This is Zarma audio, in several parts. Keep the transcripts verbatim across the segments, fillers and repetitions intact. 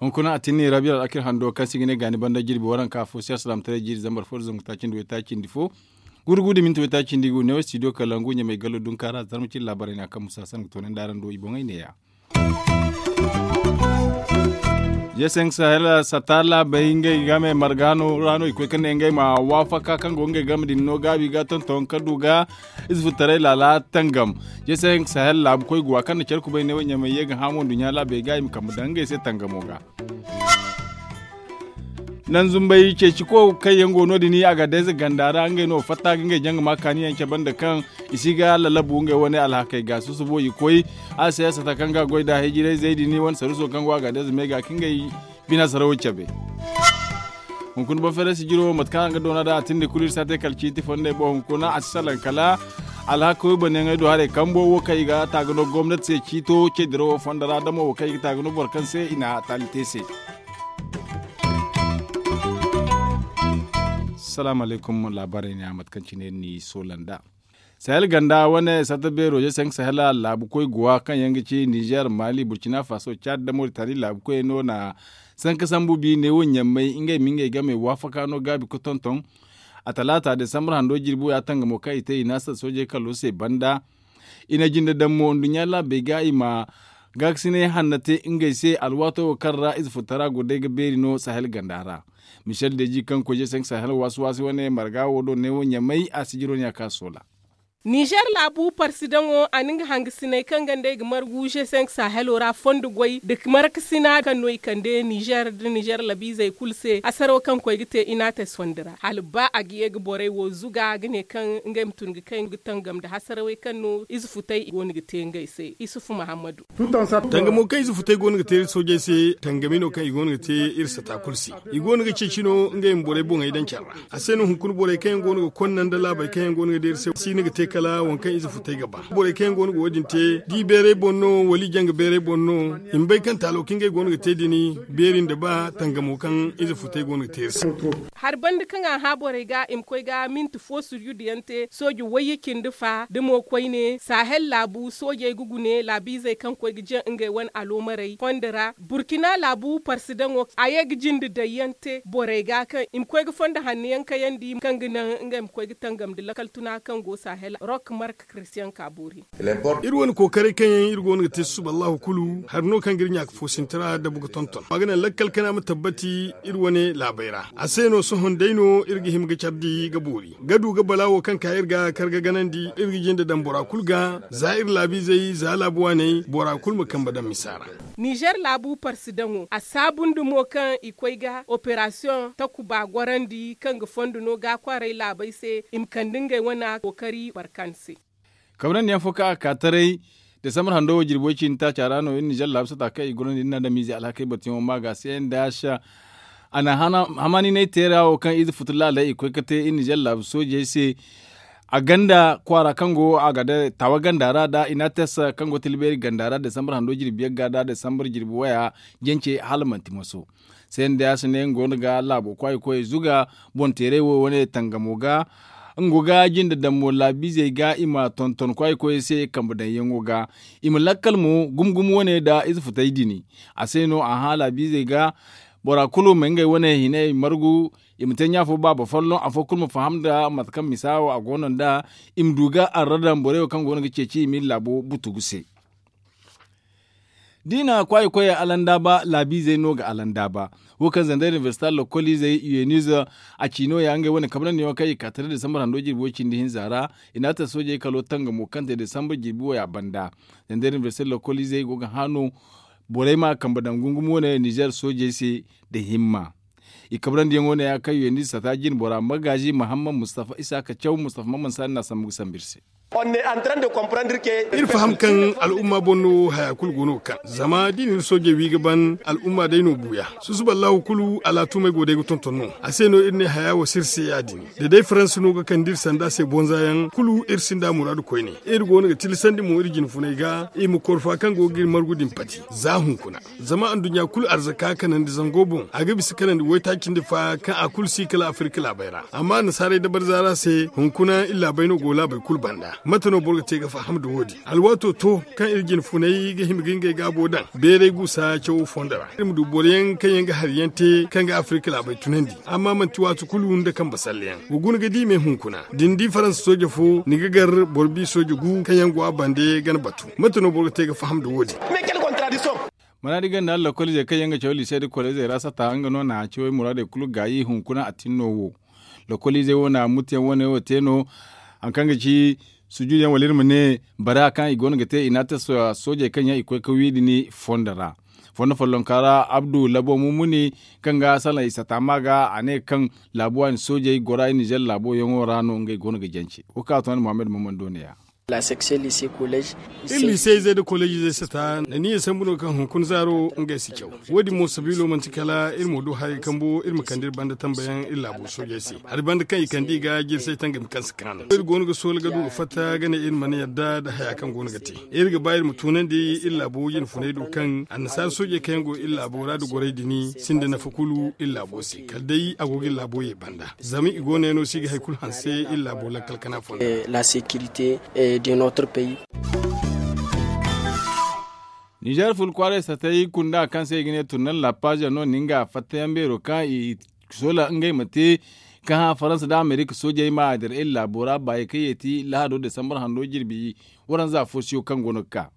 Hunkuna a tinni rabiya al'akir hando kaŋ se i ga ne gaani banda jirbi waranka fo se alsilaamataray jiiri zambar fo nda zangu taaci nda waytaaci nda fo. Gurgu nda minti waytaaci nda igu neewo studio kalangu ɲamay gallo dunka ra zarma cine laabaray no a kaŋ musa sanni ga toonandi araŋ do i boŋey neeya. Jeeseŋ sahel sata laabey ngey game marga no ra no i koy ka ne ngey ma waafaka kaŋ go ngey game din no gaabi ga tonton ka du ga ize futaray laala tangam. Jeeseŋ sahel laabu koy guwa kaŋ na care kubay ne wo ɲamay ye ga hã mo nduɲɲa laabey ga i ma kambe daŋ ngey se tangamo ga. Naŋ zumbay ceeci ko kaŋ yaŋ go no- din a ga dayze ganda ra ngey no fatta ga ngey jaŋ ga ma kaani yaŋ cabe nda kaŋ i si ga lalabu ngey wane alhakey ga susubo i koy a se sata kaŋ ga goy da hijirayzey din wane saruso kaŋ go a ga dayze me ga ka ngey bina sarawo cabe. Hunkuna bafere sijiro mate kaŋ a ga doona da a tindi kulu iri si a te kala ciiti fondey boŋ hunkuna a si salaŋ kala alhaka way banayaŋey do haray kambo wo kaŋ i ga taaga no gomnati se ciito ce dirawo fondo ra damo wo kaŋ i ga taaga no boro kaŋ se i na taali te se. Salaamu alaykum laabaarey ne a mate kaŋ cine ni soola nd'a. Sahel ganda wane sata beero je sanka sahela laabu koy guwa kaŋ yaŋ ga ci nizer mali burkina faso cad da moritani laabu koy no na sanka sambu bi ne wo ɲammay ngey ma ngey game waafaka no gaabi ga tonton. A talaata desambar hando jirbi wo ya tangamo kaŋ i te i naasa soojey kalo se banda. I na jinde daŋ mo nduɲɲa laabey ga i ma gaakasinay hanna te ngey se alwaato wo kaŋ ra ize futara go day ga beeri no sahel ganda ra. Michel deji kaŋ koy je sanka sahel waasi waasi wane marga wo do ne wo ɲammay a sijiro ne a ka soola. Nizer laabu parsidaŋo a na nga hangasiney kaŋ ga nd'ey ga margu je sanka sahelo ra fondo goy nda markasina kaŋ no i kande nizer nda nizer labiizey kulu se hasaro kaŋ koy ga te inates fondo ra hala ba a ga ye ga borey wo zuga ga ne kaŋ ngey ma tun ga kay ga tangam nda hasarawey kaŋ no ize futay i go no ga te ngey se isufu mahammadu. Tangamo kaŋ ize futay go no ga te iri soojey se tangami no kaŋ i go no ga te iri sata kulu se. I go no ga ceeci no ngey ma borey boŋey daŋ care ra. A se no hunkuna borey kaŋ yaŋ go no ga konna nda laabey kaŋ yaŋ go no ga deeri se si no ga te kala waŋ kaŋ ize futay ga ba borey kaŋ yaŋ go no ga wo- din te da i beeray boŋ no wala i janga beeray boŋ no. I ma bay kaŋ taalo kaŋ ngey go no ga te din beeri nda ba tangamo kaŋ ize futay go no ga te iri se. Hari banda kaŋ a hã borey ga i ma koy ga minti fo suryudu yaŋ te sooji wayye cindi fa da mo koyne sahel laabu soojey ga gune laabiizey kaŋ koy ga jaŋ ngey wane aloomarey fondo ra burkina laabu parsidaŋo a ye ga jinde daŋ yaŋ te borey ga kaŋ i ma koy ga fondo hanno yaŋ kayandi kaŋ ga naŋ ngey ma koy ga tangam nda lakkal tuna kaŋ go sahel rok mark kristiyan ka boori. Iri wane kookaray kaŋ yaŋ iri go no ga te susuba allahu kulu hari no kaŋ ga iri ɲaaka foosinti ra dabu ga tonton a ga naŋ lakkal kana ma tabbati iri wane laabey ra a se no sohõ day no iri ga hima ga care di ga boori ga du ga bala wo kaŋ ka iri ga kar ga ganandi iri ga jinde daŋ bora kulu ga za iri laabiizey za laabu waaney bora kulu ma kambe daŋ misa ra. Nizer laabu parsidaŋo a saabu nda mo kaŋ i koy ga operasiyoŋ takuba gorandi kaŋ ga fondo no ga a kwaaray laabey se i ma kande ngey wana kookari barkan se. Kabrandi yaŋ fo kaŋ a ka taray desambar hando wo jirbi way ciini taaca ra no iri nizer laabu sata kaŋ i gorandi iri na damiize alhakey batuyaŋo ma ga se nda a na hamaninay teera wo kaŋ ize futu laaley i koy ga te iri nizer laabu soojey se. A ganda kwaara kaŋ go a ga day tawa ganda ra da inates kaŋ go tilbeeri ganda ra desambar hando jirbi yagga da desambar jirbi waya jance hala manti maso. Senda ya si ne nga go no ga laabo kwaayi koyey zuga boŋ teeray wo wane tangamo ga. Nga go ga jinde daŋ mo laabiizey ga i ma tonton kwaayi koyey se kambe daŋ yaŋo ga i ma lakkal mo gumo gumo wane nda ize futay dini. A se no a hã laabiizey ga bora kulu ma ngey wane hinay margu i ma te ɲa fo baaba folloŋ afo kulu ma faham nda mate kaŋ misa wo a go no nda i ma du ga arra daŋ borey wo kaŋ go no ga ceeci i ma iri laabo butugu se. Da i na kwaayi koyey alandaaba laabiizey no ga alandaaba. Wo kaŋ zandar inibersita lokoliizey u n s a ci no- ya ngey wane kabrandi yaŋo kaŋ i ka taray desambar hando jirbi way cindi hinza ra. I na a te soojey kalo tangamo kaŋ te desambar jirbi waya banda. Zandar inibersita lokoliizey go ga hã no borey ma kambe daŋ gungum wane nizer soojey se nda himma. I kabrandiyaŋo ne ya kaŋ u n s sata jine bora magaazi mahammad mustafa isaaka caw mustafa maman saani na sambu ga sambu iri se. Iri faham kaŋ al'umma boŋ no haya kulu go no ga kaŋ zama da i na iri soojey wi ga ban al'umma day no buuya. Susuba allahu kulu alaatumey go day ga tonton no a se no iri ne haya wo si iri se ya- din. Da day faransa no ga kande iri sanda se bonza yaŋ kulu iri sinda muraadu koyne. Iri go no ga tilasandi mo iri jinfuney ga i ma korfa kaŋ go ga iri margu din pati za hunkuna. Zama anduɲɲa kulu arzaka kanandi zango boŋ a ga bisa kanandi waytaaci nda fa kaŋ a kulu si kala afirka laabey ra. Amma annasaarey dabarza ra se hunkuna iri laabey no go laabey kulu banda. Mate no boro ga te ga faham nda wo- din? Alwaato to kaŋ iri jinfuney ga hima ga ngey gaabo daŋ beeray guusa cawo fondo ra iri ma du boro yaŋ kaŋ yaŋ ga hari yaŋ te kaŋ ga afirka laabey tunandi. Amma manti waati kulu nda kambe salle yaŋ wa guna ga di me hunkuna da ni di faransa sooje fo ni ga gar boro bi sooje gu kaŋ yaŋ go a bande ga ni batu. Mate no boro ga te ga faham nda wo- din? Maraadi ganda lakkoliizey kaŋ yaŋ ga caw liise nda koleezey ra sata nga no na cawey muraadey kulu gaayi hunkuna a tin no wo. Lakkoliizey wo na mutuyaŋ wane wo te no. Hari kaŋ ga ci sujuudu yaŋ wala iri ma ne bara kaŋ i go no ga te i na a te soojey kaŋ yaŋ i koy ga wi din fondo ra. Fondo follonka ra abdu labo mumuni kaŋ ga salaŋ i sata ma ga a ne kaŋ laabu waani soojey gora i nizer laabo yaŋo ra no ngey go no ga jance. Wo kaŋ a to ni muhammad maman do ne- ya. Iri liisey izey nda koleez izey sata na niya sambu no kaŋ hunkuna zaaro ngey si caw. Wo- din mo sabiilo manti kala iri ma du haray kambo iri ma kande iri banda tambayaŋ iri laabo soojey se. Hari banda kaŋ i kande i ga jirsay tangami kaŋ si kaanu iri go no ga soola ga du ga fatta ga ne iri mana yadda nda haya kaŋ go no ga te. Iri ga ba iri ma tunandi iri laabo jinfuney do kaŋ annasaara soojey kaŋ yaŋ go iri laabo ra nda gorey din sinda nafa kulu iri laabo se kala day a go ga iri laabo ye banda. Zama i go no yaŋ no se i ga hari kulu hanse iri laabo lakkal kana fondo. Nizer ful kwaaray satay kunda kaŋ se i ga ne turnal la paaza no na nga fattayaŋ beero kaŋ i soola ngey ma te kaŋ hã faransa nda amerika soojey ma a dira iri laabo ra baayey kaŋ yeeti lahado desambar hando jirbi waranza fo siyo kaŋ go no ga ka.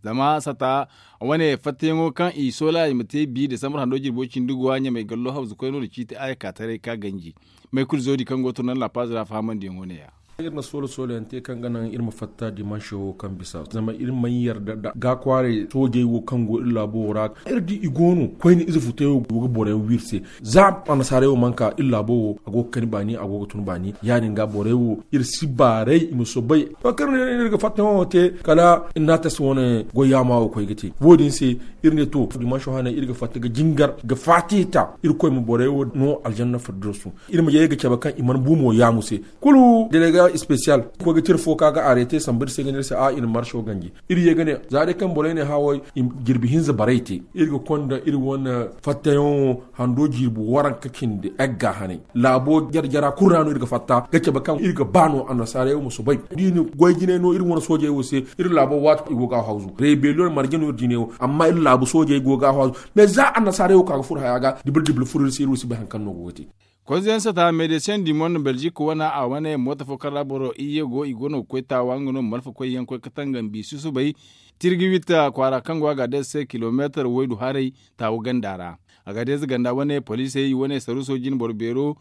Zama sata wane fattayaŋo kaŋ i soola i ma te bi desambar hando jirbo cindi go a ɲamay gallo hawzu koyno da ciiti a ye ka taray ka ganji. Maykul zoodi kaŋ go turnal la paaza ra fahamandiyaŋo ne- ya. Iri na soola soola yaŋ te kaŋ ga naŋ iri ma fatta dimanse wo kaŋ bisa zama iri mana yarda nda ga kwaaray soojey wo kaŋ go iri laabo wo ra. Iri di i go no koyne ize futay wo go ga boro yaŋ wi iri se. Za annasaarey wo mana ka iri laabo wo a go ga kani baani a go ga tun baani ya- din ga borey wo iri si baaray i ma soobay. To kaŋ iri ne iri ga fatta yaŋo te kala iri na a tasi wane goy yaama wo koy ga te wo- din se. Iri ne to dimanse hane iri ga fatta ga jingar ga faati ta irkoy ma borey wo no aljanna fardirsu. Iri ma ye ga cabe kaŋ i mana bu mo yaamu se kulu delega special koy ga tira fo ka ga arete samba iri se ga ne iri se a i na marso ganji. Iri ye ga ne za day kaŋ borey ne haway jirbi hinza baray te iri ga konda iri wane fattayaŋo hando jirbi waranka cindi egga hanay. Laabo jara jara kulu ra no iri ga fatta ga cabe kaŋ iri ga ba no annasaarey wo ma soobay da i na goy jinay no iri wane soojey wo se. Iri laabo waati i go ga a hawzu rebellion marje no iri jinay wo amma iri laabu soojey go ga a hawzu. Mais za annasaarey wo ka ga furo haya ga dibir dibir furo iri se iri wo si bay hari kaŋ no go ga te. Konzeyaŋ sata medecin du monde belgique wane a wane moota fo kaŋ ra boro iyye go i go no ga koy taawa nga no malfa koyyaŋ koy ga tangam bi susubay tirgi witta kwaara kaŋ go a ga a day se kilomeetar waydu haray taawu ganda ra. A ga a day ze ganda wane poliisey wane saruuso jine boro beero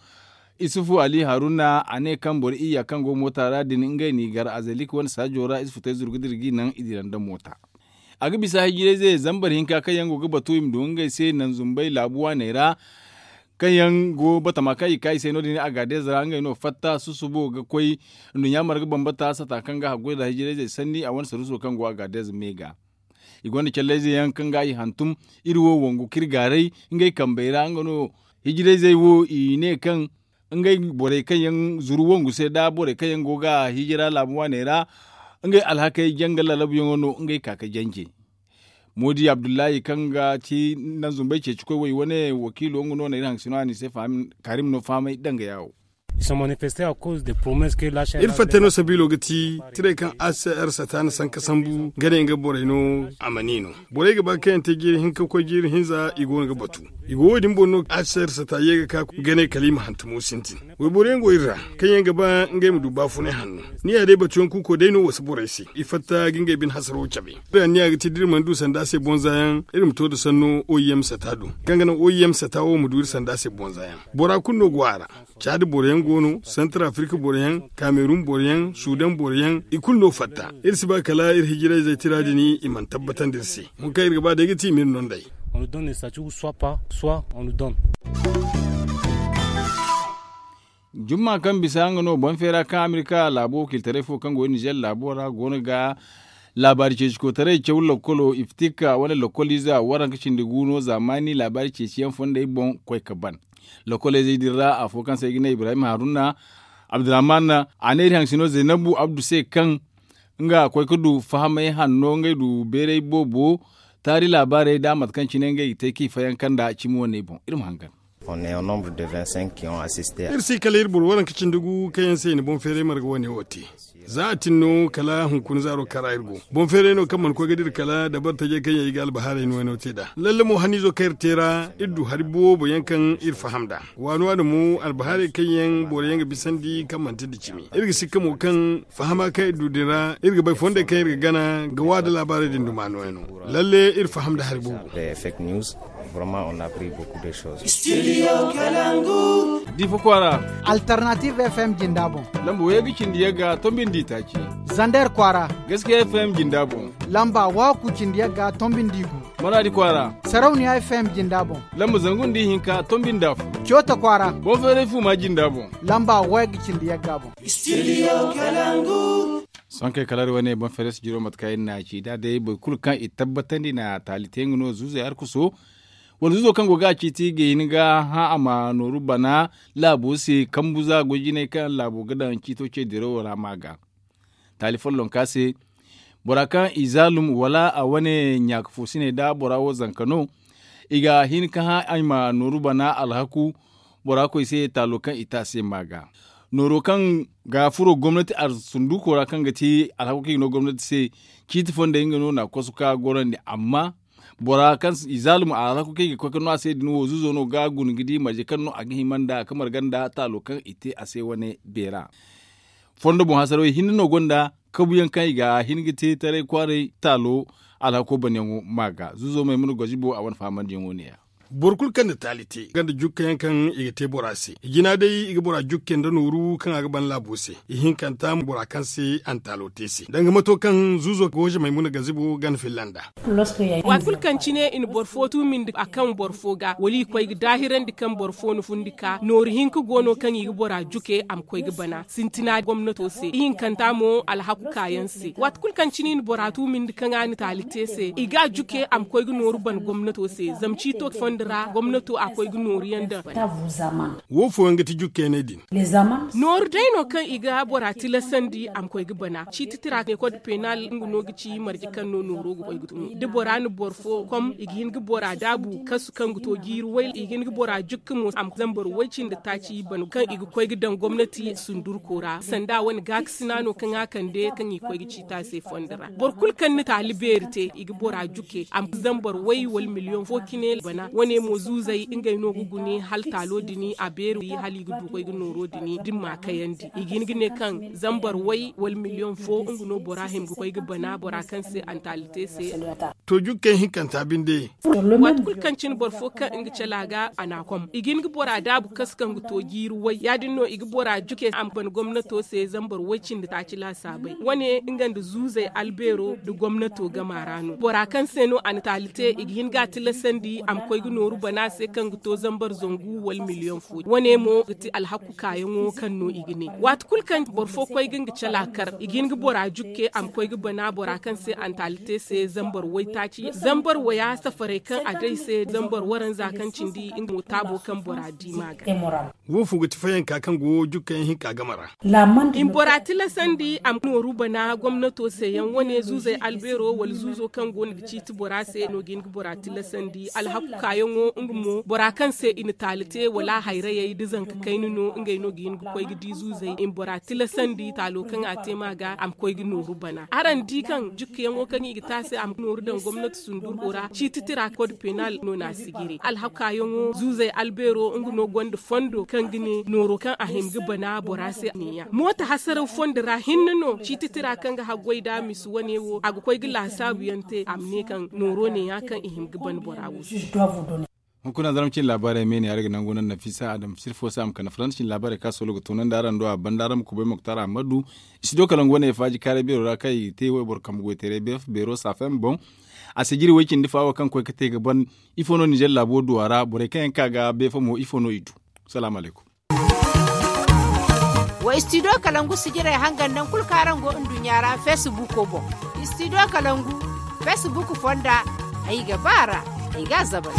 isufu ali haruna a ne kaŋ boro iyya kaŋ go moota ra din ngey n'i gar a zalik wane saajo ra ize futay zuru ga dira g'i naŋ i dira nda moota. A ga bisa hijirayze zambar hinka kaŋ yaŋ go ga batu i ma du ngey se naŋ zumbay laabu waaney ra. Kaŋ yaŋ go batama kaŋ i ka i se no- din a ga a deeza ra ngey no fatta susubo ga koy nduɲɲa marga bambata sata kaŋ ga haggoy nda hijirayzey sanni a wane saruuso kaŋ go a ga a deeza me ga. I gonda callayze yaŋ kaŋ ga i hantum iri wo wangu kaŋ iri gaaray ngey kambey ra nga no. Hijirayzey wo i ne kaŋ ngey borey kaŋ yaŋ zuru wangu se nda borey kaŋ yaŋ go ga hijira laabu waaney ra ngey alhakey janga lalabuyaŋo no ngey ka ga janje. Moodi abdullahi kaŋ ga ci nanzumbay ceecikoy wo i wane wakiilo nga no na iri haŋ sino a n'i se kaarim no fahamay danga yaawo. Iri fatta no sabiilo ga ti tiray kaŋ a c r sata na sanka sambu ga ne nga borey no a ma ni no. Borey ga ba kaŋ yaŋ te jiiri hinka ga koy jiiri hinza i go no ga batu. I go wo- din boŋ no a c r sata ye ga ka ga ne kala i ma hantumo sintin. Wayboro yaŋ go iri ra kaŋ yaŋ ga ba ngey ma du baafunay hanno. Ni ya day batuyaŋ kuuko day no wasa borey se i fatta ga ngey bine hasaro cabe. Iri anniya ga ti da iri mana du sanda se bonza yaŋ iri ma to nda sanno o i m sata do kaŋ ga naŋ o i m sata wo ma du iri sanda se bonza yaŋ. Bora kulu no go a ra. Caadi boro yaŋ go no santar afirika boro yaŋ, kamerun boro yaŋ, sudan boro yaŋ, i kulu no fatta. Iri si ba kala iri hijirayzey tira din i mana tabbatandi iri se. Wo kaŋ iri ga ba day ga ti i ma iri no nd'ey. On nous donne le statut ou soit pas soit on nous donne. Jumma kaŋ bisa nga no boŋ feera kaŋ amerika laabo wakiiltaray fo kaŋ go nizer laabo ra go no ga laabaari ceeci koytaray caw lakkolo iftika wane lakkoliize waranka cindi gu no zaamaani laabaari ceeci yaŋ fondey boŋ koy ga ban. Lakkoliizey din ra afo kaŋ se ay ga ne ibrahim haruna abdurrahman a ne iri haŋ sino zaynabu abdu se kaŋ nga koy ga du fahamay hanno ngey du beeray boobo taari laabaarey nda mate kaŋ cine ngey ga te kaŋ i fayanka nda cimi wane boŋ iri ma hangan. Iri si kala iri boro waranka cindi gu kaŋ yaŋ se i na boŋ feeray marga wane wo te. Za a tin no kala hunkuna zaaro kaŋ ra iri go boŋ feeray no kaŋ mana koy ga dira kala dabari tajey kaŋ yaŋ i ga albahaarey no wayno te nd'a lalle mo haniizo kaŋ iri te ra iri du hari boobo yaŋ kaŋ iri faham nd'a. Waani waani mo albahaarey kaŋ yaŋ boro yaŋ ga bisandi kaŋ manti nda cimi iri ga sikka mo kaŋ fahama kaŋ iri du din ra iri ga bay fondey kaŋ iri ga gana ga wa nda laabaarey din duma nooya no. Lalle iri faham nda hari boobo. Diifa kwaara. Alternative fm jinda boŋ. Lamba wayey ga cindi yagga tombi nda itaaci. Zander kwaara. Gaskiya fm jinda boŋ. Lamba waaku cindi yagga tombi nda igu. Maraadi kwaara. Sarauniya fm jinda boŋ. Lamba zangu nda ihinka tombi nda afo. Coota kwaara. Boŋ feeray fuuma jinda boŋ. Lamba wayey ga cindi yagga boŋ. Sohõ kaŋ ay kala iri wane boŋ feeray si jiro mate kaŋ iri n'a ci da day boro kulu kaŋ i tabbatandi na taali te nga no zuuzey arkuso wala zuuzo kaŋ go ga a ciiti ga hin ga hã a ma nooru bana laabo se kambu za goy jinay kaŋ laabo ga daŋ ciito ce dirawo ra ma ga. Taali follonka se bora kaŋ i zaalum wala a wane ɲaaka foosiney nda bora wo zanka no. I ga hin ka hã ay ma nooru bana alhaku bora koy se taalo kaŋ i te a se ma ga. Nooro kaŋ ga furo gomnati arsunduko ra kaŋ ga ti alhako kaŋ i ga no gomnati se ciiti fondey nga no na kosu ka gorandi amma bora kaŋ i zaalum a alhako kaŋ i ga koy ka no a se din wo zuuzo no ga guna ga di marje kaŋ no a ga hima nda ka marga nda taalo kaŋ i te a se wane beera. Fondo boŋ hasarawey hinne no gonda kabuyaŋ kaŋ i ga hin ga te taray kwaaray taalo alhako banyaŋo ma ga zuuzo maymuna gozibo a wane fahamandiyaŋo ne- ya. Boro kulu kaŋ na taali te ganda jukka yaŋ kaŋ i ga te bora se i jina day i ga bora jukke nda nooru kaŋ a ga ban laabo se. Ihinkanta bora kaŋ se a na taalo te se danga mato kaŋ zuuzo gooze maymuna gazibo gana filla nda. Waati kulu kaŋ cine i na boro fo tuumindi a kaŋ boro fo ga wala i koy ga daahirandi kaŋ boro fo na fundi ka nooru hinka go no kaŋ i ga bora juke a ma koy ga bana sintina gomnato se ihinkanta mo alhaku kaayaŋ se waati kulu kaŋ cine i na bora tuumindi kaŋ a na taali te se i ga a juke a ma koy ga nooru bana gomnato se zama ciito fondo ra gomnato a koy ga nooru yaŋ daŋ. Wo fooyaŋ ga ti jukkeeney din. Nooru day no kaŋ i ga bora tilasandi a ma koy ga bana ciiti tira ne kod penal nga no ga ci marje kaŋ no nooro ga koy ga tun da bora na boro fo kom i ga hin ga bora daabu kasu kaŋ ga to jiiri way i ga hin ga bora jukka mo a ma zambar way cindi taaci bana kaŋ i ga koy ga daŋ gomnati sundurko ra sanda wane gaakasina no kaŋ a kande kaŋ i ga koy ga ciita se fondo ra boro kulu kaŋ na taali beeri te i ga bora juke a ma zambar way wala miliyoŋ fo cine bana wane mo zuuzey ngey no ga gune hala taalo din a beeri hala i ga du ga koy ga nooro din da ni ma kayandi i ga hin ga ne kaŋ zambar way wala miliyoŋ fo nga no bora hima ga koy ga bana bora kaŋ se a na taali te se. To jukkey hinkanta binde. Waati kulu kaŋ cine boro fo kaŋ nga cala ga a na a kom i ga hin ga bora daabu kasu kaŋ ga to jiiri way ya- din no i ga bora juke a ma bana gomnato se zambar way cindi taaci laasaabey wane nga nda zuuzey albeero nda gomnato gama ra no bora kaŋ se no a na taali te i ga hin ga a tilasandi a ma koy ga nooru bana se kaŋ ga to zambar zangu wala miliyoŋ fo wane mo ga ti alhaku kaayaŋo kaŋ no i ga ne waati kulu kaŋ boro fo koy ga nga cala kar i ga hin ga bora jukke a ma koy ga bana bora kaŋ se a na taali te se zambar waytaaci zambar waya safarey kaŋ a day se zambar waranza kaŋ cindi nga mo taabo kaŋ bora di ma ga. Wo fo ga ti fayanka kaŋ go jukkayaŋ hinka game ra. I ma bora tilasandi a ma nooru bana gomnato se yaŋ wane zuuzey albeero wala zuuzo kaŋ go no ga ciiti bora se no ga hin ga bora tilasandi alhaku kaayaŋo nga mo bora kaŋ se i na taali te wala hayrayey da zanka kayna no ngey no ga hin ga koy ga di zuuzey i ma bora tilasandi taalo kaŋ a te ma ga a ma koy ga nooru bana araŋ di kaŋ jukkayaŋo kaŋ i ga te a se a ma nooru daŋ gomnati sundurko ra ciiti tira kod penal no na a sijiri alhakaayaŋo zuuzey albeero nga no gonda fondo kaŋ ga ne nooro kaŋ a hima ga bana bora se neeya mooto hasaraw fondo ra hinne no ciiti tira kaŋ ga haggoy nda a misa wane wo a ga koy ga laasaabu yaŋ te a ma ne kaŋ nooro neeya kaŋ i hima ga bana bora wo se. Hunkuna zarma cine laabaarey me ne araŋ ga nangu naŋ nafisa adam sirfo se a ma kande faransa cine laabaarey kaŋ a soolo ga toonandi araŋ do a banda araŋ ma kubay moktar ahmadu. Studio kala nga wane faaji kaaray beero ra kaŋ i ga te wayboro kambe goyteeray beero saafen boŋ. A sijiri way cindi faawo kaŋ koy ga te ga ban ifo no ninzeer laabo du a ra borey kaŋ yaŋ ka ga beefo mo ifo no i du? Salaamu alaykum. Wa istidiyo kalangu sijirey hangan naŋ kulu kaŋ araŋ go nduɲɲa ra feesibuuko boŋ. Istidiyo kalangu feesibuuku fonda, ay ga ba a ra, ay ga a zabar.